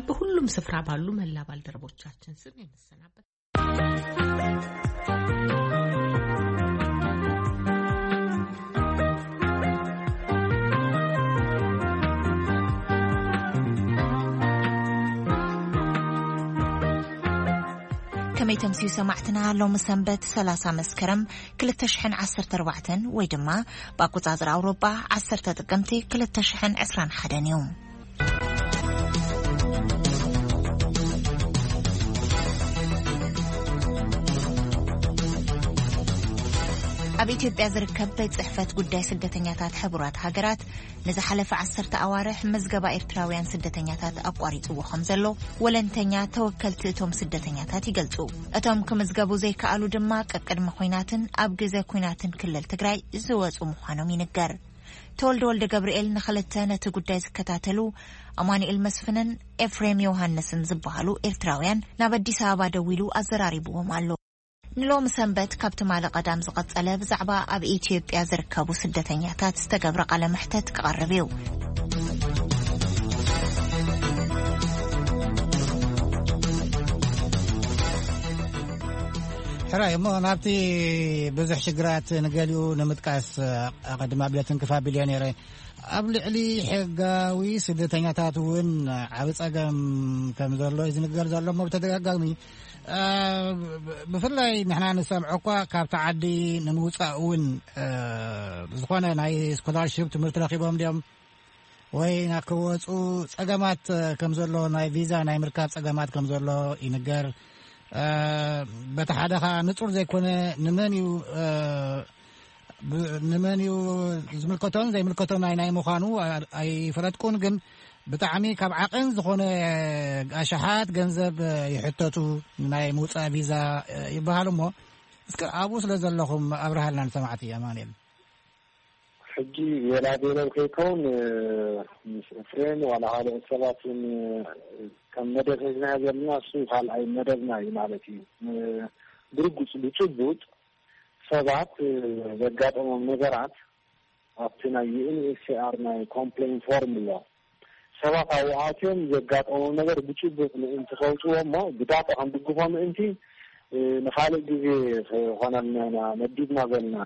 በሁሉም ስፍራ ባሉ መላ ባልደረቦቻችን ስም የምሰናበት። ከመይ ተምስዩ ሰማዕትና፣ ሎሚ ሰንበት ሰላሳ መስከረም ክልተ ሽሕን ዓሰርተ ኣርባዕተን ወይ ድማ ብኣቆጻጽራ ኣውሮጳ ዓሰርተ ጥቅምቲ ክልተ ሽሕን ዕስራን ሓደን እዩ። ኣብ ኢትዮጵያ ዝርከብ ቤት ጽሕፈት ጉዳይ ስደተኛታት ሕቡራት ሃገራት ንዝሓለፈ ዓሰርተ ኣዋርሕ ምዝገባ ኤርትራውያን ስደተኛታት ኣቋሪጽዎ ከም ዘሎ ወለንተኛ ተወከልቲ እቶም ስደተኛታት ይገልጹ። እቶም ክምዝገቡ ዘይከኣሉ ድማ ቀቅድሚ ኲናትን ኣብ ግዜ ኲናትን ክልል ትግራይ ዝወጹ ምዃኖም ይንገር። ተወልደ ወልደ ገብርኤል ንኽልተ ነቲ ጉዳይ ዝከታተሉ ኣማኑኤል መስፍንን ኤፍሬም ዮሃንስን ዝበሃሉ ኤርትራውያን ናብ ኣዲስ ኣበባ ደዊሉ ኣዘራሪብዎም ኣሎ። ንሎሚ ሰንበት ካብ ትማሊ ቀዳም ዝቐጸለ ብዛዕባ ኣብ ኢትዮጵያ ዝርከቡ ስደተኛታት ዝተገብረ ቃለ መሕተት ክቐርብ እዩ። ሕራይ እሞ ናብቲ ብዙሕ ሽግራት ንገሊኡ ንምጥቃስ፣ ኣቐድሚ ኣብለትን ክፍ ኣቢል እየ ነይረ። ኣብ ልዕሊ ሕጋዊ ስደተኛታት እውን ዓቢ ጸገም ከም ዘሎ እዩ ዝንገር ዘሎ እሞ ብተደጋጋሚ፣ እ፣ ብፍላይ ንሕና ንሰምዖ እኳ ካብቲ ዓዲ ንምውጻእ እውን፣ እ፣ ዝኾነ ናይ ስኮላርሺፕ ትምህርቲ ረኺቦም ድዮም ወይ ናብ ክወጹ ጸገማት፣ እ፣ ከም ዘሎ ናይ ቪዛ ናይ ምርካብ ጸገማት ከም ዘሎ ይንገር። እ፣ በቲ ሓደ ኸኣ ንጹር ዘይኮነ ንመን እዩ፣ እ፣ ብ-፣ ንመን እዩ ዝምልከቶን ዘይምልከቶን ናይ፣ ናይ ምዃኑ ኣ-፣ ኣይፈለጥኩን፣ ግን ብጣዕሚ ካብ ዓቐን ዝኾነ ኣሽሓት ገንዘብ ይሕተቱ ናይ ምውጻእ ቪዛ ይበሃል እሞ፣ እስከ ኣብኡ ስለ ዘለኹም ኣብርሃልና ንሰማዕቲ ኣማኑኤል። ሕጂ ቤላ ቤለው ከይከውን፣ ምስ ኤፍሬም ዋላ ካልኦት ሰባት እውን ከም መደብ ሒዝናዮ ዘለና፣ እሱ ካልኣይ መደብና እዩ ማለት እዩ። ብርግጽ ብጭቡጥ ሰባት ዘጋጠሞም ነገራት ኣብቲ ናይ ዩ ኤን ኤች ሲ ኣር ናይ ኮምፕሌን ፎርም ኣሎ። ሰባት ኣብኡ ኣትዮም ዘጋጠሞም ነገር ብጭቡጥ ምእንቲ ከውፅዎ እሞ ብዳታ ክንድግፎ ምእንቲ፣ እ፣ ንኻልእ ግዜ ክኾነልና ኢና መዲብና ዘለና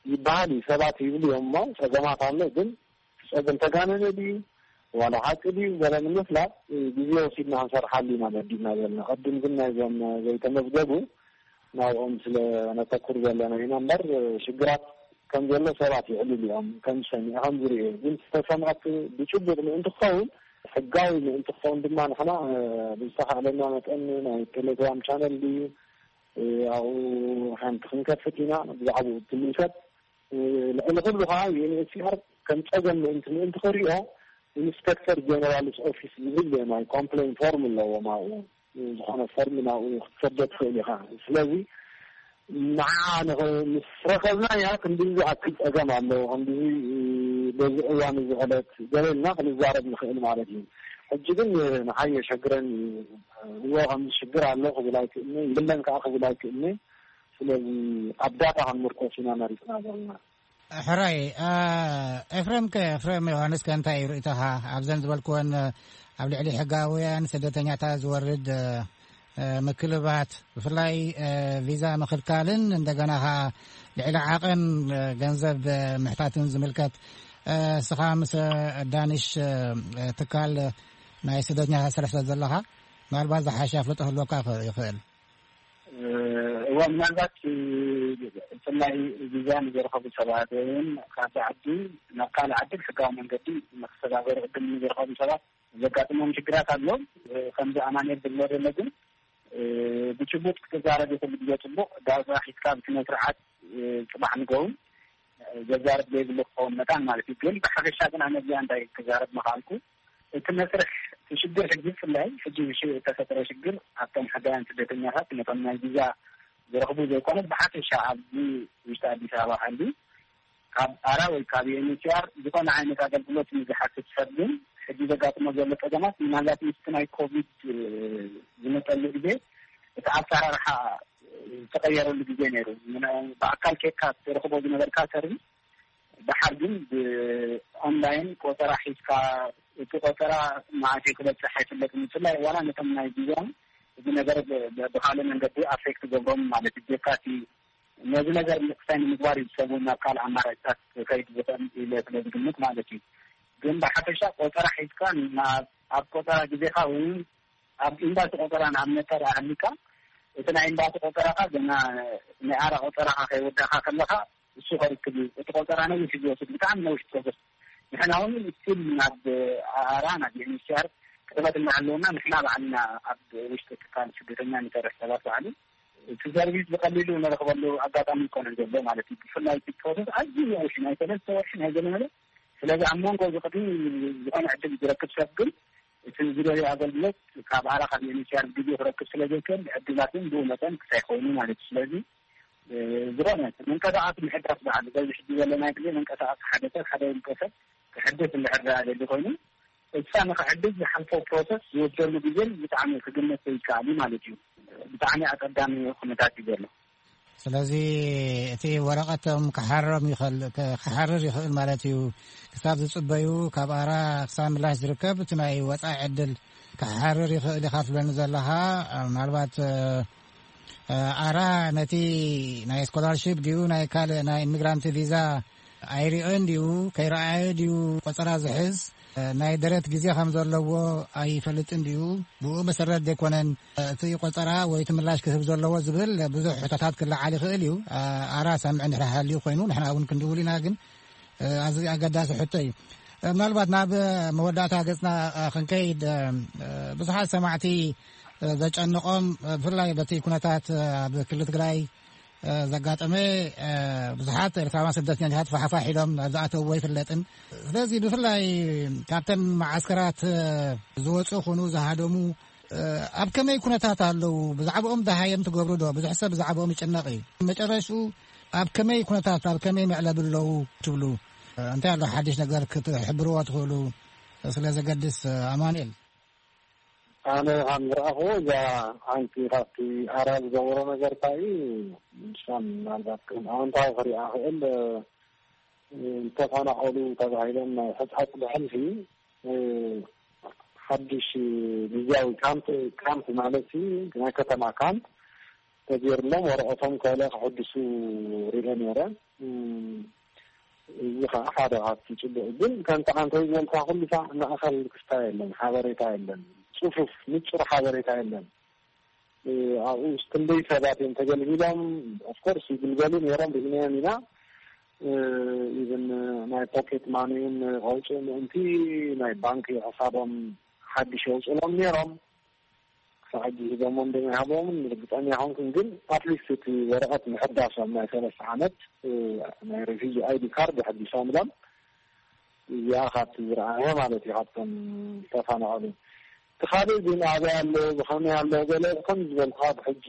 ይበሃል እዩ። ሰባት ይብሉ እዮም እሞ ጸገማት ኣሎ፣ ግን እቲ ጸገም ተጋነነ ድዩ ዋላ ሓቂ ድዩ ገለ ንምፍላጥ፣ እ፣ ግዜ ወሲድና ክንሰርሓሉ ኢና መዲብና ዘለና። ቅድም ግን ናይዞም ዘይተመዝገቡ ናብኦም ስለ ነተኩር ዘለና ኢና እምበር፣ ሽግራት ከም ዘሎ ሰባት ይዕልሉ እዮም፣ ከም ዝሰምዑ፣ ከም ዝርእዩ። ግን ዝተሰምዐት ብጭቡጥ ምእንቲ ክኸውን፣ ሕጋዊ ምእንቲ ክኸውን ድማ ንሕና፣ እ፣ ብዝተኻእለና መጠን ናይ ቴሌግራም ቻነል ድዩ፣ እ፣ ኣብኡ ሓንቲ ክንከፍት ኢና፣ ብዛዕባኡ እትምልከት። እ፣ ልዕሊ ኩሉ ከዓ ዩ ኤን ኤች ሲ ኣር ከም ጸገም ምእንቲ፣ ምእንቲ ክሪኦ ኢንስፔክተር ጀነራልስ ኦፊስ ዝብል ናይ ኮምፕሌን ፎርም ኣለዎም ኣብኡ። ዝኾነ ፎርም ናብኡ ክትሰዶ ትኽእል ኢኻ። ስለዚ ንዓ ንኽ-፣ ምስ ረኸብናያ ክንድዚ ዝኣክል ጸገም ኣሎ፣ ክንድዚ በዚ እዋን እዚ ዕለት ገለ ኢልና ክንዛረብ ንኽእል ማለት እዩ። ሕጂ ግን ንዓይ የሸግረኒ እዩ። እዎ ከምዚ ሽግር ኣሎ ክብል ኣይክእልኒ፣ የለን ከዓ ክብል ኣይክእልኒ። ስለዚ ኣብ ዳታ ክንምርኮስ ኢና መሪጽና ዘለና። ሕራይ፣ እ፣ ኤፍሬም ከ፣ ኤፍሬም ዮሃንስ ከ እንታይ እዩ ርእይቶኻ ኣብዘን ዝበልክወን፣ እ፣ ኣብ ልዕሊ ሕጋውያን ስደተኛታት ዝወርድ፣ እ፣ እ፣ ምክልባት፣ ብፍላይ፣ እ፣ ቪዛ ምኽልካልን እንደገና ኸኣ ልዕሊ ዓቐን፣ እ፣ ገንዘብ፣ እ፣ ምሕታትን ዝምልከት፣ እ፣ ንስኻ ምስ፣ እ፣ ዳንሽ፣ እ፣ እ፣ ትካል ናይ ስደተኛታት ሰልፍ ስለ ዘለኻ ምናልባት ዝሓሸ ኣፍልጦ ክህልወካ ይኽእል። እወ፣ ምናልባት፣ እ፣ ብፍላይ ቪዛ ንዝረኸቡ ሰባት ወይ እውን ካብዚ ዓዲ ናብ ካልእ ዓዲ ብሕጋዊ መንገዲ ንክሰጋገሩ ዕድል ንዝረኸቡ ሰባት ዘጋጥሞም ሽግራት ኣሎ። እ፣ ከምዚ ኣማኑኤል ዝብሎ ዘሎ ግን፣ እ፣ ብጭቡጥ ክትዛረብ ይኹሉ ግዜ ጽቡቕ፣ ዳርጋ ሒዝካ ብስነ ስርዓት፣ እ፣ ጽባሕ ንግሆ እውን ዘዛርብ ዘይብሉ ክኸውን መታን ማለት እዩ። ግን ብሓፈሻ ግን ኣነ እዚኣ እንታይ ክዛረብ ምኽኣልኩ፣ እቲ መስርሕ፣ እቲ ሽግር ሕጂ ብፍላይ ሕጂ ብሽ-፣ ዝተፈጠረ ሽግር ኣብቶም ሕጋውያን ስደተኛታት ነቶም ናይ ቪዛ ዝረኽቡ ዘይኮነስ ብሓፈሻ ኣብዚ ውሽጢ ኣዲስ ኣበባ ሃልዩ ካብ ኣራ ወይ ካብ ዩ ኤን ኤች ሲ ኣር ዝኾነ ዓይነት ኣገልግሎት ንዝሓትት ሰብ ግን ሕጂ ዘጋጥሞ ዘሎ ጸገማት ምናልባት ምስቲ ናይ ኮቪድ፣ እ፣ ዝመጸሉ ግዜ እቲ ኣሰራርሓ ዝተቐየረሉ ግዜ ነይሩ። ምና-፣ ብኣካል ኬድካ ትረኽቦ ዝነበርካ ሰርቪስ ደሓር ግን ብኦንላይን ቆጸራ ሒዝካ፣ እቲ ቆጸራ መዓስ እዩ ክበጽሕ ኣይፍለጥን። ብፍላይ ዋላ ነቶም ናይ ቪዛን እዚ ነገር ብ- ብ- ብኻልእ መንገዲ ኣፌክት ገብሮም ማለት እዩ። ጀካቲ ነዚ ነገር ምክሳይ ንምግባር እዩ ሰብ ናብ ካልእ ኣማራጭታት ከይድ ዝኽእል ኢለ ስለ ዝግምት ማለት እዩ። ግን ብሓፈሻ ቆጸራ ሒዝካ ናብ ኣብ ቆጸራ ግዜኻ ወይ ኣብ ኤምባሲ ቆጸራ ንኣብነት እንተ ደኣ ሃሊካ፣ እቲ ናይ ኤምባሲ ቆጸራኻ ገና ናይ ኣራ ቆጸራኻ ከይወዳእካ ከለኻ እሱ ከርክብ እዩ። እቲ ቆጸራ ነዊሕ እዩ ዝወስድ፣ ብጣዕሚ ነዊሕ ፕሮሰስ። ንሕና እውን ስቲል ናብ ኣራ ናብ ዩኤንኤችሲኣር ክጥበት እናሃለወና ንሕና ባዕልና ኣብ ውሽጢ ትካል ስደተኛ ንሰርሕ ሰባት ባዕሉ እቲ ሰርቪስ ብቐሊሉ ንረኽበሉ ኣጋጣሚ ይኮነ ዘሎ ማለት እዩ። ብፍላይ እቲ ፕሮሰስ ኣዝዩ ነዊሕ ናይ ሰለስተ ወርሒ ናይ ገለ መለ። ስለዚ ኣብ መንጎ እዚ ቅድሚ ዝኾነ ዕድል ዝረክብ ሰብ ግን እቲ ዝደልዮ ኣገልግሎት ካብ ኣራ ካብ ዩኤንኤችሲኣር ግዜ ክረክብ ስለ ዘይክእል ዕድላት እውን ብኡ መጠን ክሳይ ኮይኑ ማለት እዩ። ስለዚ ዝኾነ መንቀሳቐሲ ምሕዳስ በዓል በዚ ሕጂ ዘለናይ ግዜ መንቀሳቐሲ ሓደ ሰብ ሓደ ውልቀ ሰብ ክሕደስ እንድሕር ደኣ ደሊ ኮይኑ እሳ ንክሕደስ ዝሓልፎ ፕሮሰስ ዝወስደሉ ግዜን ብጣዕሚ ክግመት ዘይከኣል እዩ ማለት እዩ። ብጣዕሚ ኣቀዳሚ ኩነታት እዩ ዘሎ። ስለዚ እቲ ወረቐቶም ክሓርም ይኽእል ክሓርር ይኽእል ማለት እዩ። ክሳብ ዝጽበዩ ካብ ኣራ ክሳብ ምላሽ ዝርከብ እቲ ናይ ወጻኢ ዕድል ክሓርር ይኽእል ኢኻ ትብለኒ ዘለኻ። ምናልባት ኣራ ነቲ ናይ ስኮላርሺፕ ድዩ ናይ ካልእ ናይ ኢሚግራንት ቪዛ ኣይሪኦን ድዩ ከይረኣየ ድዩ ቆጸራ ዝሕዝ ናይ ደረት ግዜ ከም ዘለዎ ኣይፈልጥን ድዩ? ብኡ መሰረት ዘይኮነን እቲ ቆጸራ ወይ እቲ ምላሽ ክህብ ዘለዎ ዝብል ብዙሕ ሕቶታት ክለዓል ይኽእል እዩ። ኣራ ሰምዕ እንድሕር ሃልዩ ኮይኑ ንሕና እውን ክንድውል ኢና። ግን ኣዚ ኣገዳሲ ሕቶ እዩ። ምናልባት ናብ መወዳእታ ገጽና ክንከይድ ብዙሓት ሰማዕቲ ዘጨንቖም ብፍላይ በቲ ኩነታት ኣብ ክልል ትግራይ ዘጋጠመ ብዙሓት ኤርትራውያን ስደተኛታት ፋሕፋሕ ኢሎም ናብ ዝኣተውዎ ኣይፍለጥን። ስለዚ ብፍላይ ካብተን መዓስከራት ዝወፁ ይኹኑ ዝሃደሙ ኣብ ከመይ ኩነታት ኣለዉ? ብዛዕባኦም ደሃየም ትገብሩ ዶ? ብዙሕ ሰብ ብዛዕባኦም ይጭነቕ እዩ። መጨረሽኡ ኣብ ከመይ ኩነታት ኣብ ከመይ መዕለቢ ኣለዉ ትብሉ? እንታይ ኣሎ ሓድሽ ነገር ክትሕብርዎ ትኽእሉ? ስለ ዘገድስ ኣማኑኤል። ኣነ ከም ዝረኣኹዎ እዛ ሓንቲ ካብቲ ኣራ ዝገበሮ ነገር እንታይ እዩ? ንሳን ምናልባት ከም ኣወንታዊ ክሪኣ ክእል ዝተፈናቐሉ ተባሂሎም ናይ ሕፃፅ ብሕልፊ ሓድሽ ግዜያዊ ካምፕ ካምፕ ማለት እዩ ናይ ከተማ ካምፕ ተገይርሎም ወረቐቶም ከለ ክሕድሱ ሪኦ ነይረ። እዚ ከዓ ሓደ ካብቲ ፅቡቅ ግን ከምቲ ዓንተይ ዝበልካ ኩሉ ሳዕ ማእኸል ክስታይ የለን ሓበሬታ የለን። ፅፉፍ ንፁር ሓበሬታ የለን። ኣብኡ ክንደይ ሰባት እዮም ተገልጊሎም? ኦፍኮርስ ይግልገሉ ነይሮም ርኢናዮም ኢና። ኢብን ናይ ፖኬት ማኒውን ከውፅኡ ምእንቲ ናይ ባንክ ሕሳቦም ሓድሽ የውፅሎም ነይሮም። ክሳብ ሕጂ ሂቦሞ እንደመይ ሃቦምን ርግፀኛ ይኮንኩን ግን ኣትሊስት እቲ ወረቐት ምሕዳሶም ናይ ሰለስተ ዓመት ናይ ሬፊጂ ኣይዲ ካርድ ኣሕዲሶምሎም። እዚኣ ካብቲ ዝረኣየ ማለት እዩ ካብቶም ዝተፈናቐሉ። እቲ ካልእ ግን ኣበይ ኣሎ ብኸመይ ኣሎ ገለ ከም ዝበልካ ብሕጂ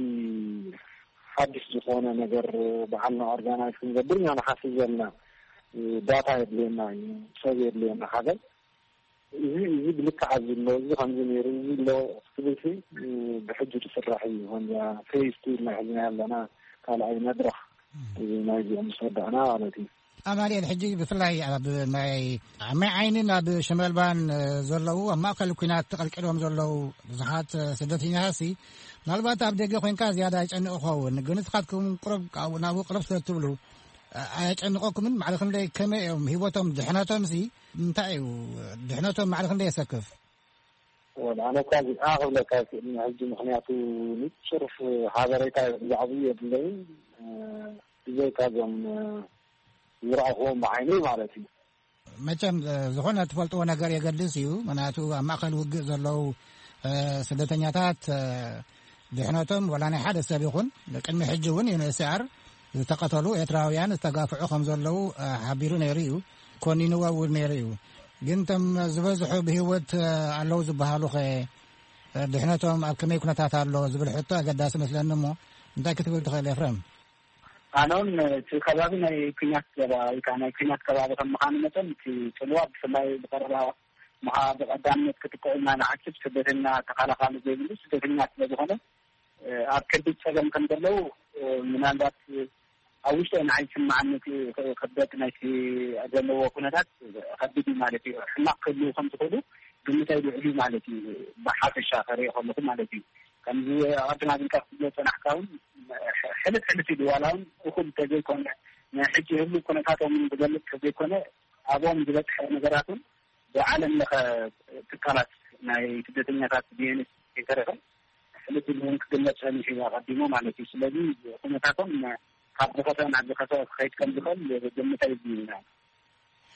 ሓድሽ ዝኾነ ነገር በዓልና ኦርጋናይዝ ክንገብር ኢና ንሓስብ ዘለና። ዳታ የድልየና እዩ፣ ሰብ የድልየና ሓደ። እዚ እዚ ብልክዕ ኣብዚ ኣሎ፣ እዚ ከምዚ ነይሩ፣ እዚ ኣሎ ክትብል ሲ ብሕጂ ዝስራሕ እዩ። ከምዛ ፌዝ ቱ ኢልና ሒዝና ኣለና ካልኣይ መድረኽ እዚ ናይዚኦም ምስ ወዳእና ማለት እዩ። ኣማኑኤል ሕጂ ብፍላይ ኣብ ናይ ኣብ ማይ ዓይንን ኣብ ሸመልባን ዘለዉ ኣብ ማእከል ኩናት ተቐልቂሎም ዘለዉ ብዙሓት ስደተኛታትሲ ምናልባት ኣብ ደገ ኮይንካ ዝያዳ ይጨንቕ ክኸውን፣ ግን ንስኻትኩም ቅሩብ ካብኡ ናብኡ ቅርብ ስለ ትብሉ ኣየጨንቐኩምን? ማዕረ ክንደይ ከመይ እዮም ህይወቶም ድሕነቶምሲ እንታይ እዩ ድሕነቶም ማዕረ ክንደይ የሰክፍ? ወላ ኣነ እኳ እዚኣ ክብለካ ኣይክእልን ሕጂ ምኽንያቱ ንጹር ሓበሬታ ብዛዕባኡ የብለይን። ብዘይካ እዞም ዝረኣኽዎም ብዓይነይ ማለት እዩ። መቸም ዝኾነ ትፈልጥዎ ነገር የገድስ እዩ። ምኽንያቱ ኣብ ማእከል ውግእ ዘለዉ ስደተኛታት ድሕነቶም ወላ ናይ ሓደ ሰብ ይኹን ቅድሚ ሕጂ እውን ዩኤንኤችሲኣር ዝተቐተሉ ኤርትራውያን ዝተጋፍዑ ከም ዘለዉ ሓቢሩ ነይሩ እዩ፣ ኮኒንዎ እውን ነይሩ እዩ። ግን እቶም ዝበዝሑ ብህይወት ኣለዉ ዝበሃሉ ኸ ድሕነቶም ኣብ ከመይ ኩነታት ኣሎ ዝብል ሕቶ ኣገዳሲ መስለኒ እሞ እንታይ ክትብል ትኽእል ኤፍረም? ኣነ እውን እቲ ከባቢ ናይ ኩናት ዘባ ወይ ከዓ ናይ ኩናት ከባቢ ከም ምዃኑ መጠን እቲ ጽልዋ ብፍላይ ብቐረባ ምዃ ብቐዳምነት ክጥቅዑ ኢና ንሓስብ። ስደተኛ ተኻላኻሊ ዘይብሉ ስደተኛ ስለ ዝኾነ ኣብ ከቢድ ጸገም ከም ዘለዉ ምናልባት ኣብ ውሽጠይ ንዓይ ዝስምዓኒ እቲ ክብደት ናይቲ ዘለዎ ኩነታት ከቢድ እዩ ማለት እዩ። ሕማቕ ክህልዉ ከም ዝኽእሉ ግምተይ ልዑል እዩ ማለት እዩ። ብሓፈሻ ከርእዮ ከለኹ ማለት እዩ። ከምዚ ኣቐድም ኣቢልካ ክትብሎ ዝጸናሕካ እውን ሕልፍ ሕልፍ ኢሉ ዋላ እውን እኹል እንተዘይኮነ፣ ንሕጂ ህሉው ኩነታቶም እውን ዝገልጽ እንተዘይኮነ፣ ኣብኦም ዝበጽሐ ነገራት እውን ብዓለም ለኸ ትካላት ናይ ስደተኛታት ቢኤንኤች ከይተረፈ ሕልፍ ኢሉ እውን ክግለጽ ጸኒሑ እዩ ኣቐዲሙ ማለት እዩ። ስለዚ ኩነታቶም ካብ ዝኸፍአ ናብ ዝኸፍአ ክኸይድ ከም ዝኽእል ግምት ኣይብልንና።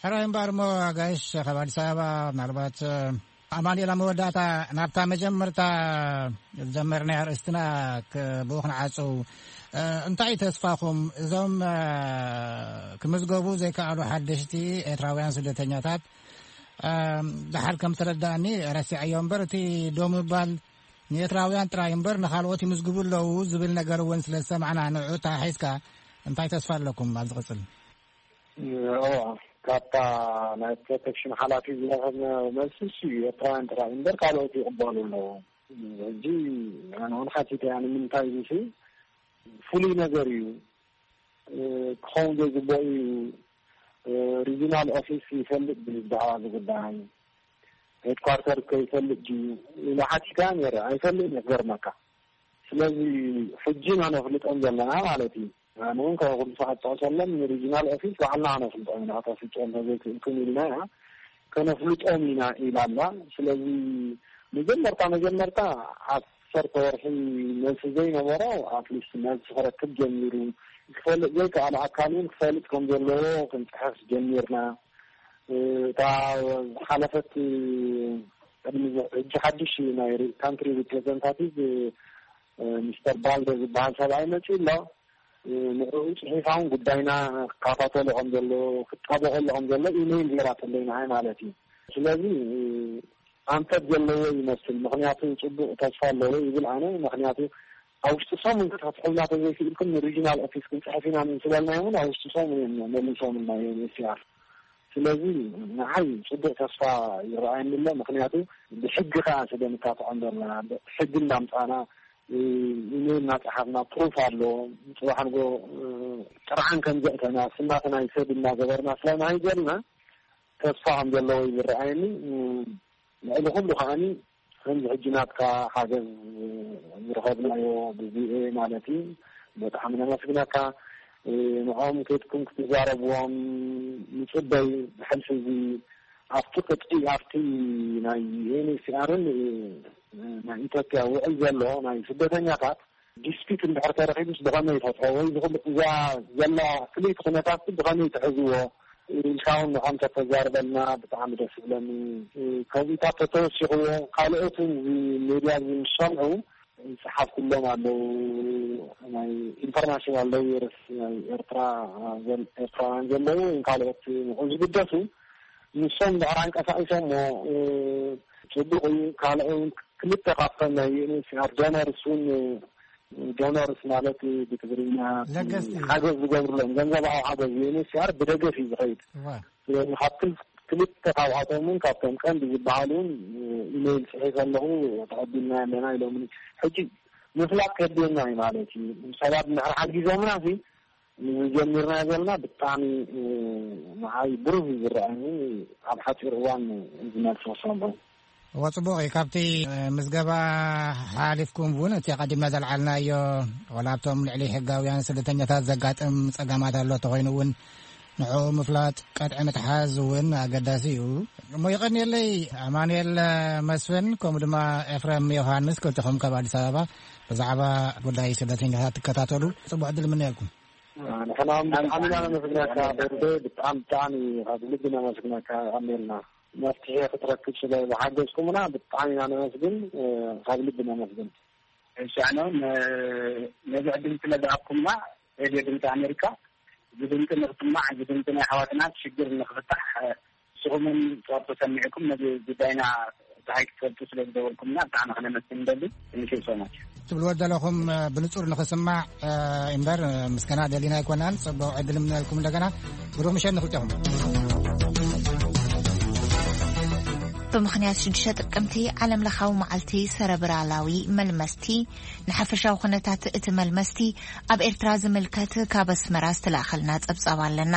ሕራይ እምበኣር እሞ ኣጋይሽ ካብ ኣዲስ ኣበባ ምናልባት ኣማኑኤል ኣብ መወዳእታ ናብታ መጀመርታ ዝጀመርናያ ኣርእስትና ክ- ብኡ ክንዓጽው። እ፣ እንታይ እዩ ተስፋኹም? እዞም እ፣ ክምዝገቡ ዘይከኣሉ ሓደሽቲ ኤርትራውያን ስደተኛታት እ፣ ደሓር ከም ተረዳእኒ ረሲዐዮ እምበር እቲ ደው ምባል ንኤርትራውያን ጥራይ እምበር ንኻልኦት ይምዝግቡ ኣለዉ ዝብል ነገር እውን ስለ ዝሰማዕና ንዑ ተሓሒዝካ እንታይ ተስፋ ኣለኩም ኣብ ዝቕጽል? እዋ፣ ካብታ ናይ ፕሮቴክሽን ሓላፊ ዝረኸብናዮ መልሲ እሱ እዩ። ኤርትራውያን ጥራይ እምበር ካልኦት ይቕበሉ ኣለዉ። ሕጂ ኣነ እውን ሓቲተ እያ ንምንታይ ኢሉ ሲ ፍሉይ ነገር እዩ። እ፣ ክኸውን ዘይግባእ እዩ። እ፣ ሪጂናል ኦፊስ ይፈልጥ ድዩ ብዛዕባ እዚ ጉዳይ? ሄድኳርተር ከ ይፈልጥ ድዩ? ኢለ ሓቲተ ነይረ። ኣይፈልጥን እዩ ክገርመካ። ስለዚ ሕጂ ኢና ነፍልጦም ዘለና ማለት እዩ። ኣነ እውን ካብ ኩሉ ሰዓት ዝጠቕሰሎም ንሪጂናል ኦፊስ ባዕልና ከነፍልጦም ኢና፣ ከተፍልጦም ተዘይክእልኩም ኢልና ኢና፣ ከነፍልጦም ኢና ኢላ ኣላ። ስለዚ መጀመርታ መጀመርታ ዓሰርተ ወርሒ መልሲ ዘይነበሮ ኣትሊስት መልሲ ክረክብ ጀሚሩ፣ ክፈልጥ ዘይከኣለ ኣካል እውን ክፈልጥ ከም ዘለዎ ክንፅሕፍ ጀሚርና። እታ ዝሓለፈት ቅድሚ ሕጂ ሓድሽ ናይ ካንትሪ ሪፕሬዘንታቲቭ ሚስተር ባልደ ዝበሃል ሰብኣይ መፂኡ ኣሎ። ንዕኡ ፅሒፋ እውን ጉዳይና ክከታተሎ ከም ዘሎ ክጣበቀሎ ከም ዘሎ ኢሜይል ገይራተለይ ንዓይ ማለት እዩ። ስለዚ ኣንፈት ዘለዎ ይመስል። ምክንያቱ ፅቡቅ ተስፋ ኣለዎ ይብል ኣነ። ምክንያቱ ኣብ ውሽጢ ሰሙን ክትፍትሑልና ተዘይክእልኩም ንሪጂናል ኦፊስ ክንፅሕፍ ኢና ንስበልናዮም እውን ኣብ ውሽጢ ሰሙን እዮም መሊሶምልና ዩኤንኤችሲኣር። ስለዚ ንዓይ ፅቡቅ ተስፋ ይረኣየኒ ኣሎ። ምክንያቱ ብሕጊ ከዓ ስለ ንካትዖ እምበርና ሕጊ እንዳምፃና ኢሜይል እናፀሓፍና ፕሩፍ ኣሎ። ፅባሕ ንጎ ጥርዓን ከም ዘእተና ስናተ ናይ ሰብ እናገበርና ስለናሃይ ዘለና ተስፋ ከም ዘለዎ እዩ ዝረኣየኒ። ልዕሊ ኩሉ ከዓኒ ከምዚ ሕጂ ናትካ ሓገዝ ዝረኸብናዮ ብቪኦኤ ማለት እዩ። በጣዕሚ ነመስግነካ። ንዕኦም ከድኩም ክትዛረብዎም ንፅበይ። ብሕልፊ እዚ ኣብቲ ቅጥዒ ኣብቲ ናይ ዩኤንኤችሲኣርን ናይ ኢትዮጵያ ውዕል ዘሎ ናይ ስደተኛታት ዲስፒት እንድሕር ተረኺቡስ ብኸመይ ይፈትሖ ወይ ዝኽሉ እዛ ዘላ ፍልይቲ ኩነታት ብኸመይ ትሕዝዎ ኢልካ እውን ንዖም ተተዛርበልና ብጣዕሚ ደስ ይብለኒ። ከዚታት ተተወሲኽዎ ካልኦት እውን እዚ ሜድያ እዚ ምስ ሰምዑ ዝፀሓፍኩሎም ኣለዉ። ናይ ኢንተርናሽናል ሎየርስ ናይ ኤርትራ ኤርትራውያን ዘለዉ ወይ ካልኦት ንዑ ዝግደሱ ንሶም ድሕር ኣንቀሳቂሶሞ ፅቡቅ እዩ። ካልኦ ክልተ ካብቶም ናይ ዩኤንኤችሲኣር ዶነርስ እውን ዶነርስ ማለት ብትግርኛ ለገስቲ ሓገዝ ዝገብርሎም ገንዘባዊ ሓገዝ ዩኤንኤችሲኣር ብደገፍ እዩ ዝኸይድ። ስለዚ ካብ ክልተ ካብኣቶም እውን ካብቶም ቀንዲ ዝበሃሉ እውን ኢሜይል ፅሒፈ ኣለኹ። ተቐቢልና ኣለና ኢሎም ሕጂ ምፍላጥ ከድልየና እዩ ማለት እዩ። ሰባት እንድሕር ሓጊዞምና ሲ ንዝጀሚርናዮ ዘለና ብጣዕሚ ንዓይ ብሩህ እዩ ዝረኣኒ። ኣብ ሓፂር እዋን ዝመልሶ ሰምዑ። እወ፣ ፅቡቕ እዩ። ካብቲ ምዝገባ ሓሊፍኩም እውን እቲ ኣቐዲምና ዘልዓልናዮ ዋላ ኣብቶም ልዕሊ ሕጋውያን ስደተኛታት ዘጋጥም ፀገማት ኣሎ ተኾይኑ እውን ንዕኡ ምፍላጥ ቀጥዒ ምትሓዝ እውን ኣገዳሲ እዩ። እሞ ይቐንየለይ ኣማኑኤል መስፍን ከምኡ ድማ ኤፍረም ዮሃንስ ክልቲኹም ካብ ኣዲስ ኣበባ ብዛዕባ ጉዳይ ስደተኛታት ትከታተሉ ፅቡቅ ዕድል ምነየልኩም። ንሕና ብጣዕሚ ኢና ነመስግነካ። ብጣዕሚ ብጣዕሚ ካብ ልቢ ነመስግነካ። ኣሜልና መፍትሒ ክትረክብ ስለ ዝሓገዝኩምና ብጣዕሚ ኢና ነመስግን። ካብ ልቢ ነመስግን። እሺ ኣነ እውን ነዚ ዕድል ስለ ዝሃብኩምና ሬድዮ ድምፂ ኣሜሪካ እዚ ድምፂ ንክስማዕ እዚ ድምፂ ናይ ኣሕዋትና ሽግር ንክፍታሕ ንስኹምን ጸወቶ ሰሚዕኩም ነዚ ጉዳይና ፀሓይ ክትፈልጡ ስለ ዝደወልኩምና ብጣዕሚ ክነመስግን ንደሊ። Thank you so much። ትብልዎ ዘለኹም ብንጹር ንኽስማዕ እምበር ምስጋና ደሊና ኣይኮናን። ጽቡቕ ዕድል እምነልኩም እንደገና። ብሩኽ ምሸት ንኽልቴኹም። ብምኽንያት ሽዱሽተ ጥቅምቲ ዓለም ለኻዊ መዓልቲ ሰረብራላዊ መልመስቲ፣ ንሓፈሻዊ ኩነታት እቲ መልመስቲ ኣብ ኤርትራ ዝምልከት ካብ ኣስመራ ዝተላእኸልና ጸብጻብ ኣለና።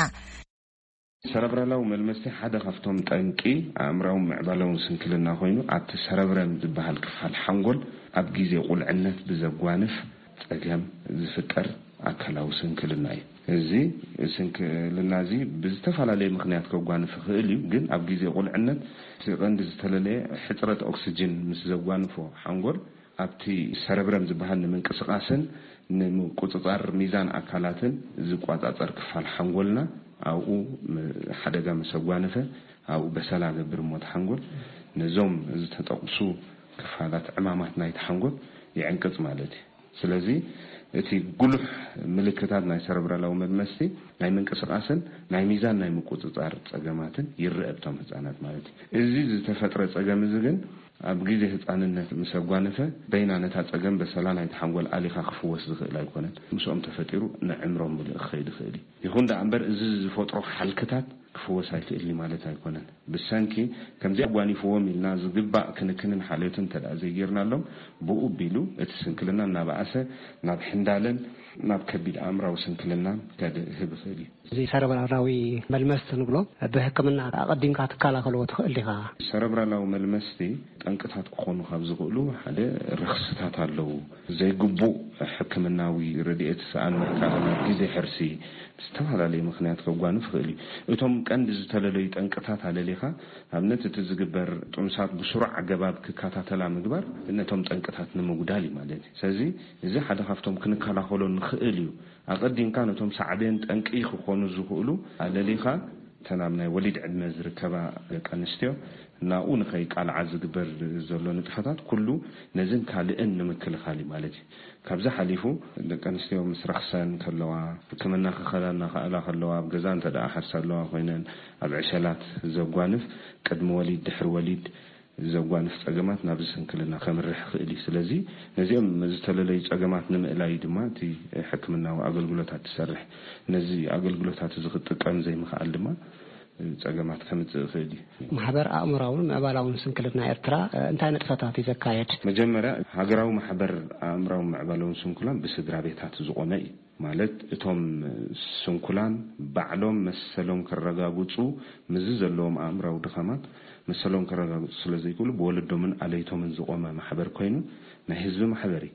ሰረብራላዊ መልመስቲ ሓደ ካብቶም ጠንቂ ኣእምራዊ ምዕባለውን ስንክልና ኮይኑ፣ ኣብቲ ሰረብረም ዝበሃል ክፋል ሓንጎል ኣብ ግዜ ቁልዕነት ብዘጓንፍ ጸገም ዝፍጠር ኣካላዊ ስንክልና እዩ። እዚ ስንክልና እዚ ብዝተፈላለየ ምኽንያት ከጓንፍ ይኽእል እዩ፣ ግን ኣብ ግዜ ቁልዕነት እቲ ቀንዲ ዝተለለየ ሕጽረት ኦክስጅን ምስ ዘጓንፎ ሓንጎል ኣብቲ ሰረብረም ዝበሃል ንምንቅስቃስን ንምቁጽጻር ሚዛን ኣካላትን ዝቋጻጸር ክፋል ሓንጎልና ኣብኡ ም-፣ ሓደጋ ምስ ኣጓነፈ ኣብኡ በሰላ ገብር እሞ እቲ ሓንጎል ነዞም ዝተጠቕሱ ክፋላት ዕማማት ናይቲ ሓንጎል ይዕንቅጽ ማለት እዩ። ስለዚ እቲ ጉሉሕ ምልክታት ናይ ሰረብራላዊ መድመስቲ ናይ ምንቅስቃስን ናይ ሚዛን ናይ ምቁጽጻር ጸገማትን ይረአ ኣብቶም ህጻናት ማለት እዩ። እዚ ዝተፈጥረ ጸገም እዚ ግን ኣብ ግዜ ህጻንነት ምስ ኣጓነፈ በይና ነታ ጸገም በሰላ ናይቲ ሓንጎል ኣሊኻ ክፍወስ ዝኽእል ኣይኮነን። ምስኦም ተፈጢሩ ንዕምሮም ምሉእ ክኸይድ ይኽእል እዩ። ይኹን ደኣ እምበር እዚ ዝፈጥሮ ሓልክታት ክፍወስ ኣይክእልን ማለት ኣይኮነን። ብሰንኪ ከምዚ ኣጓኒፍዎም ኢልና ዝግባእ ክንክንን ሓልዮትን እንተ ደኣ ዘይጌርናሎም፣ ብኡ ኣቢሉ እቲ ስንክልና እናበኣሰ ናብ ሕንዳለን ናብ ከቢድ ኣእምራዊ ስንክልናን ከድህብ ይኽእል እዩ። እዚ ሰረብራላዊ መልመስቲ ንብሎ ብሕክምና ኣቐዲምካ ትከላኸልዎ ትኽእል ዲኻ? ሰረብራላዊ መልመስቲ ጠንቅታት ክኾኑ ካብ ዝኽእሉ ሓደ ረኽስታት ኣለዉ። ዘይግቡእ ሕክምናዊ ረድኤት፣ ሰኣን ምርካብ፣ ግዜ ሕርሲ፣ ብዝተፈላለየ ምኽንያት ከጓንፍ ይኽእል እዩ። እቶም ቀንዲ ዝተለለዩ ጠንቅታት ኣለሊኻ፣ ኣብነት እቲ ዝግበር ጥኑሳት ብስሩዕ ኣገባብ ክከታተላ ምግባር ነቶም ጠንቅታት ንምጉዳል እዩ ማለት እዩ። ስለዚ እዚ ሓደ ካብቶም ክንከላኸሎ ንኽእል እዩ። ኣቐዲምካ ነቶም ሳዕቤን ጠንቂ ክኾኑ ዝኽእሉ ኣለሊኻ፣ እተን ኣብ ናይ ወሊድ ዕድመ ዝርከባ ደቂ ኣንስትዮ ናብኡ ንኸይቃልዓ ዝግበር ዘሎ ንጥፈታት ኩሉ ነዝን ካልእን ንምክልኻል እዩ ማለት እዩ። ካብዚ ሓሊፉ ደቂ ኣንስትዮ ምስ ረኽሰን ከለዋ፣ ሕክምና ክኸዳ እናኸኣላ ከለዋ፣ ኣብ ገዛ እንተ ደኣ ሓርሳ ኣለዋ ኮይነን ኣብ ዕሸላት ዘጓንፍ ቅድሚ ወሊድ ድሕሪ ወሊድ ዘጓንፍ ጸገማት ናብዚ ስንክልና ከምርሕ ይኽእል እዩ። ስለዚ ነዚኦም ዝተለለዩ ጸገማት ንምእላይ ድማ እቲ ሕክምናዊ ኣገልግሎታት ትሰርሕ። ነዚ ኣገልግሎታት እዚ ክትጥቀም ዘይምኽኣል ድማ ጸገማት ከምጽእ ይኽእል እዩ። ማሕበር ኣእምራውን ምዕባላውን ስንክልና ኤርትራ እንታይ ንጥፈታት እዩ ዘካየድ? መጀመርያ ሃገራዊ ማሕበር ኣእምራውን ምዕባላውን ስንኩላን ብስድራ ቤታት ዝቖመ እዩ። ማለት እቶም ስንኩላን ባዕሎም መሰሎም ከረጋግጹ፣ ምስዚ ዘለዎም ኣእምራዊ ድኻማት መሰሎም ከረጋግጹ ስለ ዘይክእሉ ብወለዶምን ኣለይቶምን ዝቖመ ማሕበር ኮይኑ ናይ ህዝቢ ማሕበር እዩ።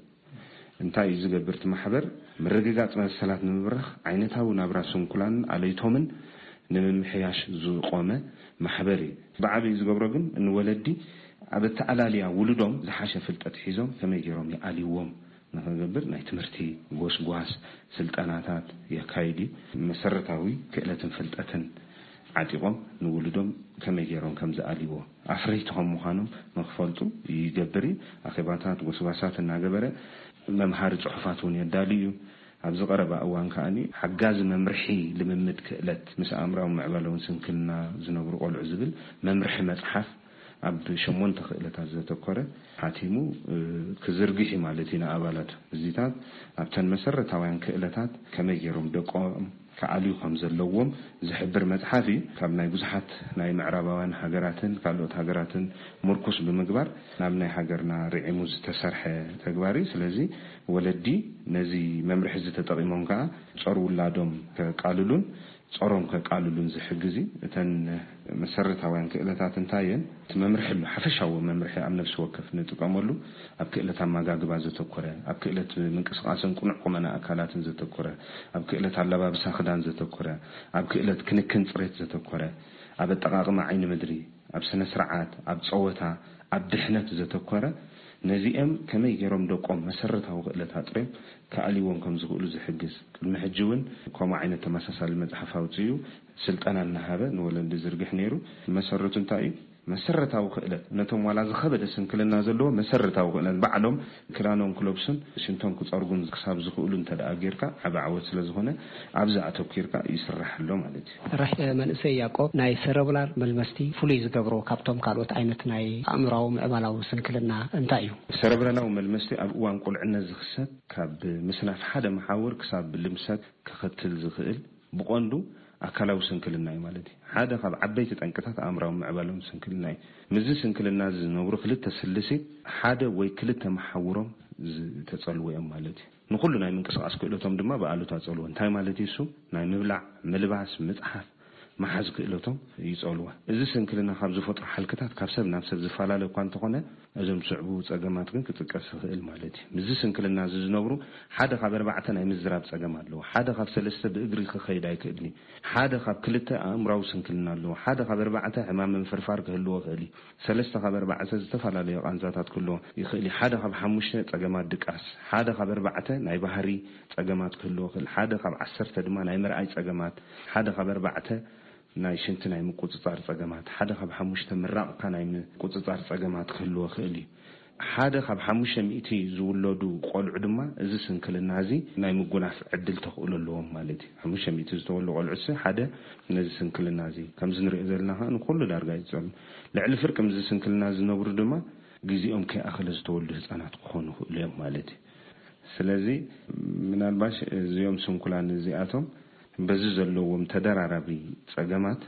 እንታይ እዩ ዝገብር እቲ ማሕበር? ምርግጋጽ መሰላት ንምብራኽ ዓይነታዊ ናብራ ስንኩላንን ኣለይቶምን ንምምሕያሽ ዝቖመ ማሕበር እዩ። ብዓቢኡ ዝገብሮ ግን ንወለዲ ኣብ ኣተኣላልያ ውሉዶም ዝሓሸ ፍልጠት ሒዞም ከመይ ገይሮም ይኣልይዎም ንኽገብር ናይ ትምህርቲ ጎስጓስ ስልጠናታት የካይድ እዩ። መሰረታዊ ክእለትን ፍልጠትን ዓጢቖም ንውሉዶም ከመይ ገይሮም ከም ዝኣልይዎ ኣፍረይቲ ከም ምዃኖም ንኽፈልጡ ይገብር እዩ። ኣኼባታት፣ ጎስጓሳት እናገበረ መምሃሪ ጽሑፋት እውን የዳሊ እዩ። ኣብዚ ቀረባ እዋን ከኣ ሓጋዚ መምርሒ ልምምድ ክእለት ምስ ኣእምራዊ ምዕባለውን ስንክልና ዝነብሩ ቆልዑ ዝብል መምርሒ መጽሓፍ ኣብ ሸሞንተ ክእለታት ዘተኮረ ሓቲሙ፣ እ፣ ክዝርግሕ እዩ ማለት እዩ ንኣባላቱ። እዚታት ኣብተን መሰረታውያን ክእለታት ከመይ ገይሮም ደቆም ክኣልዩ ከም ዘለዎም ዝሕብር መጽሓፍ እዩ። ካብ ናይ ብዙሓት ናይ ምዕራባውያን ሃገራትን ካልኦት ሃገራትን ምርኩስ ብምግባር ናብ ናይ ሃገርና ርዒሙ ዝተሰርሐ ተግባር እዩ። ስለዚ ወለዲ ነዚ መምርሒ እዚ ተጠቒሞም ከኣ ጾር ውላዶም ከቃልሉን ጾሮም ከቃልሉን ዝሕግዝ እዩ። እተን መሰረታውያን ክእለታት እንታይ እየን? እቲ መምርሒ ኣሎ፣ ሓፈሻዊ መምርሒ ኣብ ነፍሲ ወከፍ ንጥቀመሉ፣ ኣብ ክእለት ኣመጋግባ ዘተኮረ፣ ኣብ ክእለት ምንቅስቃስን ቅኑዕ ቁመና ኣካላትን ዘተኮረ፣ ኣብ ክእለት ኣለባብሳ ክዳን ዘተኮረ፣ ኣብ ክእለት ክንክን ጽሬት ዘተኮረ፣ ኣብ ኣጠቓቕማ ዓይኒ ምድሪ፣ ኣብ ስነ ስርዓት፣ ኣብ ጸወታ፣ ኣብ ድሕነት ዘተኮረ፣ ነዚኦም ከመይ ገይሮም ደቆም መሰረታዊ ክእለት ኣጥርዮም ክኣልይዎም ከም ዝኽእሉ ዝሕግዝ። ቅድሚ ሕጂ እውን ከምኡ ዓይነት ተመሳሳሊ መጽሓፍ ኣውጺኡ ስልጠና እናሃበ ንወለዲ ዝርግሕ ነይሩ። መሰረቱ እንታይ እዩ? መሰረታዊ ክእለት፣ ነቶም ዋላ ዝኸበደ ስንክልና ዘለዎ መሰረታዊ ክእለት፣ ባዕሎም ክዳኖም ክለብሱን ሽንቶም ክጸርጉን ክሳብ ዝኽእሉ እንተ ደኣ ጌርካ ዓቢ ዓወት ስለ ዝኾነ፣ ኣብዚ ኣተኲርካ ይስራሕ ኣሎ ማለት እዩ። ራሕ መንእሰይ ያዕቆብ፣ ናይ ሰረብላር መልመስቲ ፍሉይ ዝገብሮ ካብቶም ካልኦት ዓይነት ናይ ኣእምራዊ ምዕባላዊ ስንክልና እንታይ እዩ? ሰረብራላዊ መልመስቲ ኣብ እዋን ቁልዕነት ዝኽሰት፣ ካብ ምስናፍ ሓደ መሓውር ክሳብ ልምሰት ከኸትል ዝኽእል፣ ብቐንዱ ኣካላዊ ስንክልና እዩ ማለት እዩ። ሓደ ካብ ዓበይቲ ጠንቅታት ኣእምራዊ ምዕባሎም ስንክልና እዩ። ምስዚ ስንክልና እዚ ዝነብሩ ክልተ ስልሲ ሓደ ወይ ክልተ መሓውሮም ዝተጸልዎ እዮም ማለት እዩ። ንኹሉ ናይ ምንቅስቓስ ክእለቶም ድማ ብኣሉታ ጸልዎ። እንታይ ማለት እዩ እሱ? ናይ ምብላዕ፣ ምልባስ፣ ምጽሓፍ፣ መሓዝ ክእለቶም ይጸልዎ። እዚ ስንክልና ካብ ዝፈጥሮ ሓልክታት ካብ ሰብ ናብ ሰብ ዝፈላለ እኳ እንተኾነ፣ እዞም ዝስዕቡ ጸገማት ግን ክጥቀስ ይኽእል ማለት እዩ። ምስዚ ስንክልና እዚ ዝነብሩ ሓደ ካብ ኣርባዕተ ናይ ምዝራብ ጸገም ኣለዎ። ሓደ ካብ ሰለስተ ብእግሪ ክኸይድ ኣይክእልን እዩ። ሓደ ካብ ክልተ ኣእምራዊ ስንክልና ኣለዎ። ሓደ ካብ ኣርባዕተ ሕማም ምንፍርፋር ክህልዎ ይኽእል እዩ። ሰለስተ ካብ ኣርባዕተ ዝተፈላለዩ ቃንዛታት ክህልዎ ይኽእል እዩ። ሓደ ካብ ሓሙሽተ ጸገማት ድቃስ፣ ሓደ ካብ ኣርባዕተ ናይ ባህሪ ጸገማት ክህልዎ ይኽእል፣ ሓደ ካብ ዓሰርተ ድማ ናይ ምርኣይ ጸገማት፣ ሓደ ካብ ኣርባዕተ ናይ ሽንቲ ናይ ምቁጽጻር ጸገማት፣ ሓደ ካብ ሓሙሽተ ምራቕካ ናይ ምቁጽጻር ጸገማት ክህልዎ ይኽእል እዩ። ሓደ ካብ ሓሙሽተ ሚእቲ ዝውለዱ ቆልዑ ድማ እዚ ስንክልና እዚ ናይ ምጉናፍ ዕድል ተኽእሎ ኣለዎም ማለት እዩ። ሓሙሽተ ሚእቲ ዝተወልዱ ቆልዑ ሲ ሓደ ነዚ ስንክልና እዚ ከምዚ ንሪኦ ዘለና ከዓ ንኩሉ ዳርጋ ይጸሉ። ልዕሊ ፍርቂ ምስዚ ስንክልና ዝነብሩ ድማ ግዜኦም ከይኣኸለ ዝተወልዱ ህጻናት ክኾኑ ይኽእሉ እዮም ማለት እዩ። ስለዚ ምናልባሽ እዚኦም ስንኩላን እዚኣቶም በዚ ዘለዎም ተደራራቢ ጸገማት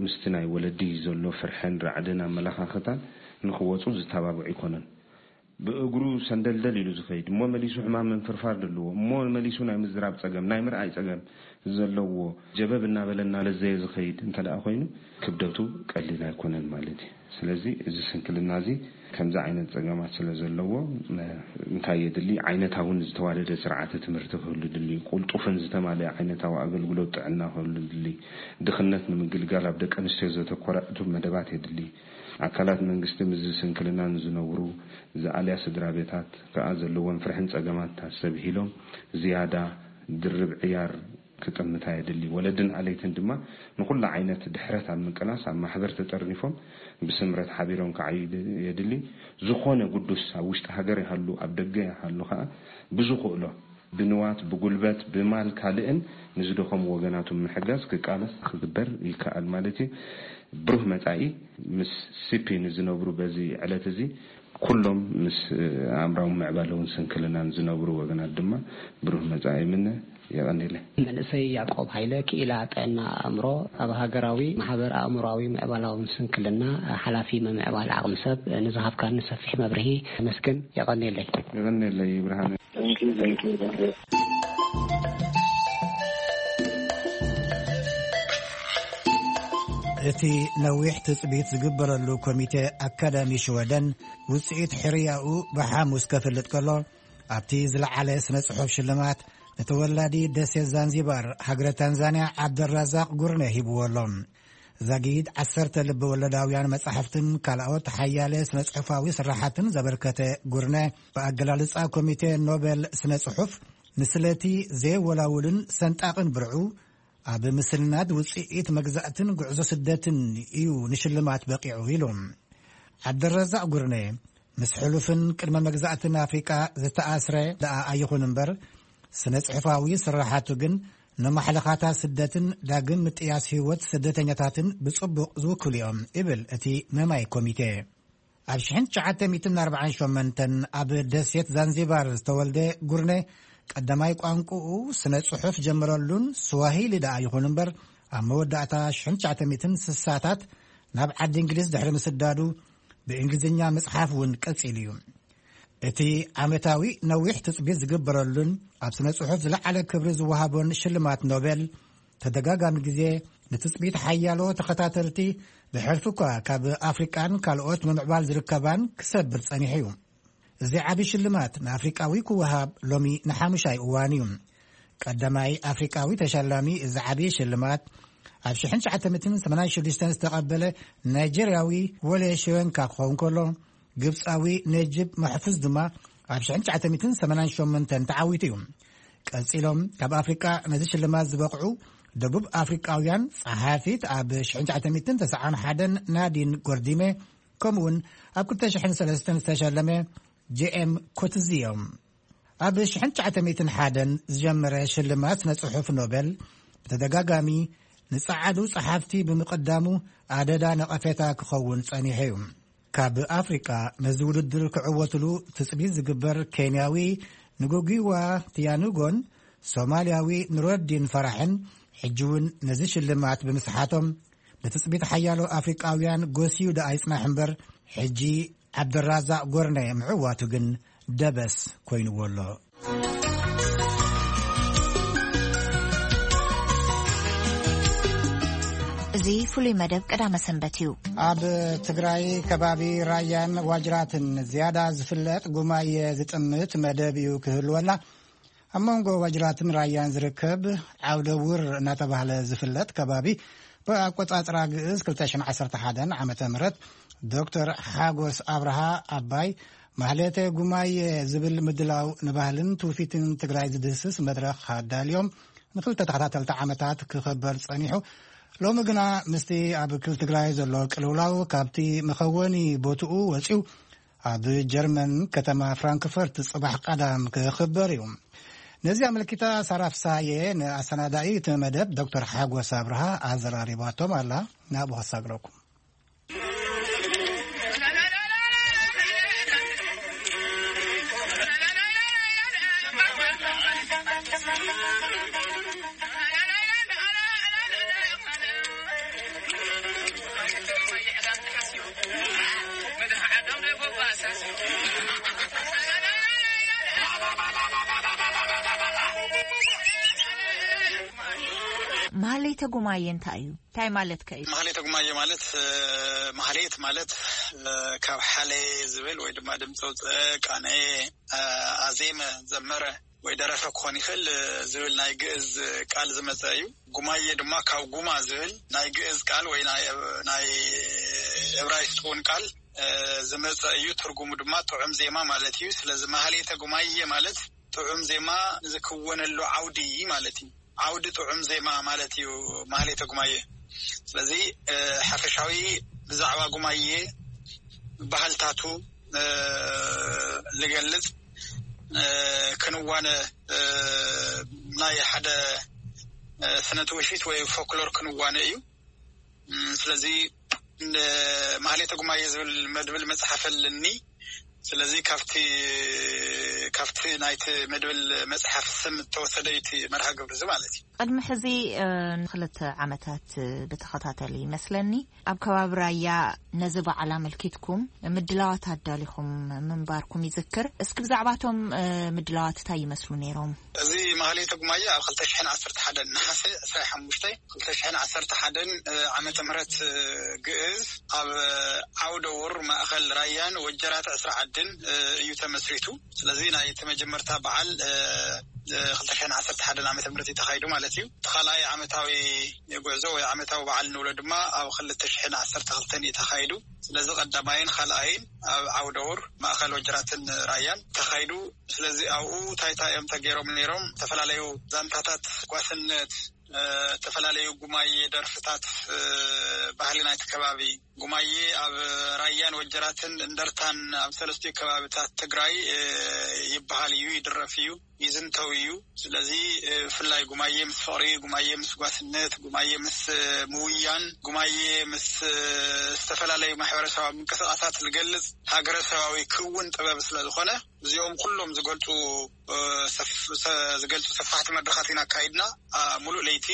ምስቲ ናይ ወለዲ ዘሎ ፍርሕን ራዕድን ኣመለኻኽታን ንኽወጹ ዝተባብዕ ኣይኮነን። ብእግሩ ሰንደልደል ኢሉ ዝኸይድ እሞ መሊሱ ሕማም ምንፍርፋር ዘለዎ እሞ መሊሱ ናይ ምዝራብ ጸገም፣ ናይ ምርኣይ ጸገም ዘለዎ ጀበብ እናበለ እናለዘየ ዝኸይድ እንተ ደኣ ኮይኑ ክብደቱ ቀሊል ኣይኮነን ማለት እዩ። ስለዚ እዚ ስንክልና እዚ ከምዚ ዓይነት ጸገማት ስለ ዘለዎ እንታይ የድሊ? ዓይነታውን ዝተዋደደ ስርዓተ ትምህርቲ ክህሉ ድሊ፣ ቁልጡፍን ዝተማልአ ዓይነታዊ ኣገልግሎት ጥዕና ክህሉ ድሊ፣ ድኽነት ንምግልጋል ኣብ ደቂ ኣንስትዮ ዘተኮረ ዕቱብ መደባት የድሊ። ኣካላት መንግስቲ ምስዚ ስንክልና ንዝነብሩ ዝኣልያ ስድራ ቤታት ከኣ ዘለዎም ፍርሕን ጸገማት ኣስተብሂሎም ዝያዳ ድርብ ዕያር ክጥምታ የድሊ። ወለድን ኣለይትን ድማ ንኹሉ ዓይነት ድሕረት ኣብ ምቅላስ ኣብ ማሕበር ተጠርኒፎም ብስምረት ሓቢሮም ክዓዩ የድሊ። ዝኾነ ግዱስ ኣብ ውሽጢ ሃገር ይሃሉ ኣብ ደገ ይሃሉ ከኣ ብዝኽእሎ ብንዋት፣ ብጉልበት፣ ብማል ካልእን ንዝደኸሙ ወገናቱ ምሕጋዝ ክቃለስ ክግበር ይከኣል ማለት እዩ። ብሩህ መጻኢ ምስ ሲፒ ንዝነብሩ በዚ ዕለት እዚ ኩሎም ምስ ኣእምራዊ ምዕባለውን ስንክልናን ዝነብሩ ወገናት ድማ ብሩህ መጻኢ ይምነ። የቐንየለይ። መንእሰይ ያዕቆብ ሃይለ ክኢላ ጥዕና ኣእምሮ ኣብ ሃገራዊ ማሕበር ኣእምሮኣዊ ምዕባላውን ስንክልና ሓላፊ ምምዕባል ዓቕሚ ሰብ ንዝሃብካኒ ሰፊሕ መብርሂ ኣመስግን። የቐንየለይ። የቐንየለይ ብርሃነ። እቲ ነዊሕ ትጽቢት ዝግበረሉ ኮሚቴ ኣካዳሚ ሽወደን ውጽኢት ሕርያኡ ብሓሙስ ከፍልጥ ከሎ፣ ኣብቲ ዝለዓለ ስነ ጽሑፍ ሽልማት ንተወላዲ ደሴት ዛንዚባር ሃገረ ታንዛንያ ዓብደራዛቅ ጉርነ ሂብዎ ኣሎ። ዛጊድ ዓሰርተ ልቢ ወለዳውያን መጻሕፍትን ካልኦት ሓያለ ስነ ጽሑፋዊ ስራሓትን ዘበርከተ ጉርነ፣ ብኣገላልጻ ኮሚቴ ኖበል ስነ ጽሑፍ፣ ንስለቲ ዘይወላውልን ሰንጣቕን ብርዑ፣ ኣብ ምስልናት ውጽኢት መግዛእትን ጉዕዞ ስደትን እዩ ንሽልማት በቂዑ ኢሉ። ዓብደረዛቕ ጉርነ፣ ምስ ሕሉፍን ቅድመ መግዛእትን ኣፍሪቃ ዝተኣስረ ደኣ ኣይኹን እምበር፣ ስነ ጽሑፋዊ ስራሓቱ ግን ንማሕለኻታት ስደትን ዳግም ምጥያስ ህይወት ስደተኛታትን ብጽቡቕ ዝውክሉ እዮም ይብል እቲ መማይ ኮሚቴ። ኣብ ሽሕን ትሽዓተ ሚእትን ኣርባዓን ሸሞንተን ኣብ ደሴት ዛንዚባር ዝተወልደ ጉርነ፣ ቀዳማይ ቋንቋኡ ስነ ጽሑፍ ጀመረሉን ስዋሂሊ ደኣ ይኹን እምበር፣ ኣብ መወዳእታ ሽሕን ትሽዓተ ሚእትን ስሳታት ናብ ዓዲ እንግሊዝ ድሕሪ ምስዳዱ ብእንግሊዝኛ ምጽሓፍ እውን ቀጺሉ እዩ። እቲ ዓመታዊ ነዊሕ ትጽቢት ዝግበረሉን ኣብ ስነ ጽሑፍ ዝለዓለ ክብሪ ዝወሃቦን ሽልማት ኖቤል፣ ተደጋጋሚ ግዜ ንትጽቢት ሓያሎ ተኸታተልቲ ብሕልፊ እኳ ካብ ኣፍሪቃን ካልኦት ምምዕባል ዝርከባን ክሰብር ጸኒሑ እዩ። እዚ ዓቢ ሽልማት ንኣፍሪቃዊ ክወሃብ ሎሚ ንሓሙሻይ እዋን እዩ። ቀዳማይ ኣፍሪቃዊ ተሸላሚ እዚ ዓቢ ሽልማት ኣብ ሽሕን ትሽዓተ ሚእትን ሰማንያን ሽዱሽተን ዝተቐበለ ናይጀርያዊ ወሌ ሽወንካ ክኸውን ከሎ፣ ግብጻዊ ነጅብ ማሕፉዝ ድማ ኣብ ሽሕን ትሽዓተ ሚእትን ሰማንያን ሸሞንተን ተዓዊቱ እዩ። ቀጺሎም ካብ ኣፍሪቃ ነዚ ሽልማት ዝበቕዑ ደቡብ ኣፍሪቃውያን ጸሓፊት ኣብ ሽሕን ትሽዓተ ሚእትን ተስዓን ሓደን ናዲን ጎርዲሜ፣ ከምኡውን ኣብ ክልተ ሽሕን ሰለስተን ዝተሸለመ ጄ ኤም ኮትዚ እዮም። ኣብ ሽሕን ትሽዓተ ሚእትን ሓደን ዝጀመረ ሽልማት ስነ ጽሑፍ ኖቤል ብተደጋጋሚ ንጸዓዱ ጸሓፍቲ ብምቕዳሙ ኣደዳ ነቐፌታ ክኸውን ጸኒሑ እዩ። ካብ ኣፍሪቃ ነዚ ውድድር ክዕወትሉ ትጽቢት ዝግበር ኬንያዊ ንጉጊዋ ቲያኑጎን ሶማልያዊ ኑረዲን ፈራሕን ሕጂ እውን ነዚ ሽልማት ብምስሓቶም ንትጽቢት ሓያሎ ኣፍሪቃውያን ጎስዩ ደኣ ይጽናሕ እምበር፣ ሕጂ ዓብደራዛቅ ጎርነ ምዕዋቱ ግን ደበስ ኮይንዎ ኣሎ። እዚ ፍሉይ መደብ ቀዳመ ሰንበት እዩ። ኣብ ትግራይ ከባቢ ራያን ዋጅራትን ዝያዳ ዝፍለጥ ጉማየ ዝጥምት መደብ እዩ ክህልወና። ኣብ መንጎ ዋጅራትን ራያን ዝርከብ ዓውደ ውር እናተባህለ ዝፍለጥ ከባቢ፣ ብኣቆጻጽራ ግእዝ ክልተ ሽሕን ዓሰርተ ሓደን ዓመተ ምህረት ዶክተር ሓጎስ ኣብርሃ ኣባይ ማህሌተ ጉማየ ዝብል ምድላው ንባህልን ትውፊትን ትግራይ ዝድህስስ መድረኽ ኣዳልዮም ንክልተ ተኸታተልቲ ዓመታት ክኸበር ጸኒሑ። ሎሚ ግና ምስቲ ኣብ ክል ትግራይ ዘሎ ቅልውላው ካብቲ መኸወኒ ቦትኡ ወጺኡ ኣብ ጀርመን ከተማ ፍራንክፈርት ጽባሕ ቀዳም ክኽበር እዩ። ነዚ ኣመልኪታ ሳራ ፍሳየ ንኣሰናዳኢ እቲ መደብ ዶክተር ሓጎስ ኣብርሃ ኣዘራሪባቶም ኣላ። ናብኡ ከሳግረኩም። ማህሌተ ጉማየ እንታይ እዩ? እንታይ ማለት ከ እዩ? ማህሌተ ጉማየ ማለት ማህሌት ማለት ካብ ሓለየ ዝብል ወይ ድማ ድምፂ ውፅእ ቃነየ ኣዜመ ዘመረ ወይ ደረፈ ክኾን ይኽእል ዝብል ናይ ግእዝ ቃል ዝመፀ እዩ። ጉማየ ድማ ካብ ጉማ ዝብል ናይ ግእዝ ቃል ወይ ናይ እብራይስጥ እውን ቃል ዝመፀ እዩ። ትርጉሙ ድማ ጥዑም ዜማ ማለት እዩ። ስለዚ ማህሌተ ጉማየ ማለት ጥዑም ዜማ ዝክወነሉ ዓውዲ ማለት እዩ። ዓውዲ ጥዑም ዜማ ማለት እዩ ማህሌተ ጉማየ። ስለዚ ሓፈሻዊ ብዛዕባ ጉማየ ባህልታቱ ዝገልፅ ክንዋነ ናይ ሓደ ስነ ትውፊት ወይ ፎክሎር ክንዋነ እዩ። ስለዚ ማህሌተ ጉማየ ዝብል መድብል መፅሓፍ ኣለኒ። ስለዚ ካብቲ ካብቲ ናይቲ መድብል መፅሓፍ ስም እተወሰደ እዩ እቲ መርሃ ግብሪ እዚ ማለት እዩ። ቅድሚ ሕዚ ንክልተ ዓመታት ብተኸታተሊ ይመስለኒ ኣብ ከባቢ ራያ ነዚ በዓል ኣመልኪትኩም ምድላዋት ኣዳሊኹም ምንባርኩም ይዝክር። እስኪ ብዛዕባቶም ምድላዋት እንታይ ይመስሉ ነይሮም? እዚ ማህሌተ ጉማየ ኣብ ክልተ ሽሕን ዓሰርተ ሓደን ነሓሰ ዕስራን ሓሙሽተን ክልተ ሽሕን ዓሰርተ ሓደን ዓመተ ምህረት ግእዝ ኣብ ዓውደ ውር ማእኸል ራያን ወጀራት ዕስራ ዓድን እዩ ተመስሪቱ። ስለዚ ናይ እቲ መጀመርታ በዓል ክልተ ሽሕን ዓሰርተ ሓደን ዓመተ ምህረት እዩ ተኻይዱ ማለት እዩ። እቲ ካልኣይ ዓመታዊ ጉዕዞ ወይ ዓመታዊ በዓል ንብሎ ድማ ኣብ ክልተ ሽሕን ዓሰርተ ክልተን እዩ ተኻይዱ። ስለዚ ቀዳማይን ካልኣይን ኣብ ዓውደ ውር ማእኸል ወጀራትን ራያን ተኻይዱ። ስለዚ ኣብኡ እንታይ እንታይ እዮም ተገይሮም ነይሮም? ዝተፈላለዩ ዛንታታት ጓስነት፣ ዝተፈላለዩ ጉማየ ደርፍታት፣ ባህሊ ናይቲ ከባቢ ጉማየ ኣብ ራያን ወጀራትን እንደርታን ኣብ ሰለስቲኡ ከባብታት ትግራይ ይበሃል እዩ፣ ይድረፍ እዩ፣ ይዝንተው እዩ። ስለዚ ብፍላይ ጉማየ ምስ ፍቕሪ፣ ጉማየ ምስ ጓስነት፣ ጉማየ ምስ ምውያን፣ ጉማየ ምስ ዝተፈላለዩ ማሕበረሰባዊ ምንቅስቃሳት ዝገልፅ ሃገረሰባዊ ክውን ጥበብ ስለዝኾነ እዚኦም ኩሎም ዝገልፁ ዝገልፁ ሰፋሕቲ መድረኻት ኢና ኣካይድና። ሙሉእ ለይቲ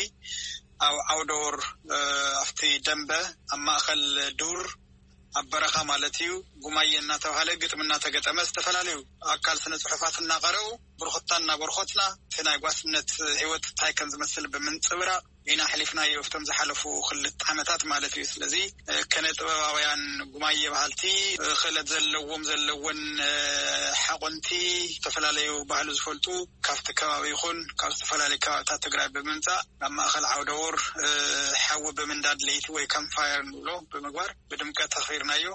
ኣብ ዓውደውር ኣብቲ ደንበ ኣብ ማእኸል ዱር ኣብ በረኻ ማለት እዩ ጉማየ እናተባህለ ግጥሚ እናተገጠመ ዝተፈላለዩ ኣካል ስነ ፅሑፋት እናቐረቡ ብርኹታ እናበርኾትና እቲ ናይ ጓስነት ህይወት እንታይ ከም ዝመስል ብምንፅብራቕ ኢና ኣሕሊፍናዮ ኣብቶም ዝሓለፉ ክልተ ዓመታት ማለት እዩ። ስለዚ ከነ ጥበባውያን ጉማየ በሃልቲ ክእለት ዘለዎም ዘለወን ሓቆንቲ ዝተፈላለዩ ባህሉ ዝፈልጡ ካብቲ ከባቢ ይኹን ካብ ዝተፈላለዩ ከባብታት ትግራይ ብምምፃእ ናብ ማእኸል ዓውደውር ሓዊ ብምንዳድ ለይቲ ወይ ካምፕ ፋየር ንብሎ ብምግባር ብድምቀት ኣኽቢርናዮ።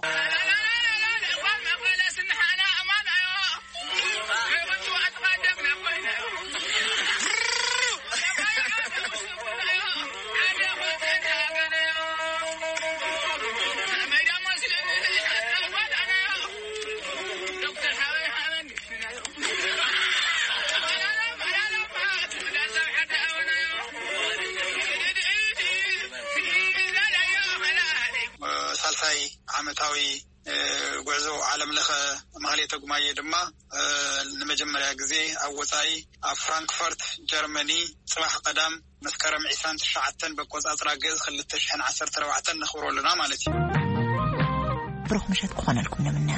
ሳልሳይ ዓመታዊ ተጉማየ ድማ ንመጀመርያ ግዜ ኣብ ወፃኢ ኣብ ፍራንክፈርት ጀርመኒ ፅባሕ ቀዳም መስከረም ዕስራን ትሽዓተን በቆፃፅራ ግእዝ ክልተ ሽሕን ዓሰርተ ኣርባዕተን ነኽብሮ ኣለና ማለት እዩ። ብሩኽ ምሸት ክኾነልኩም ንምነ።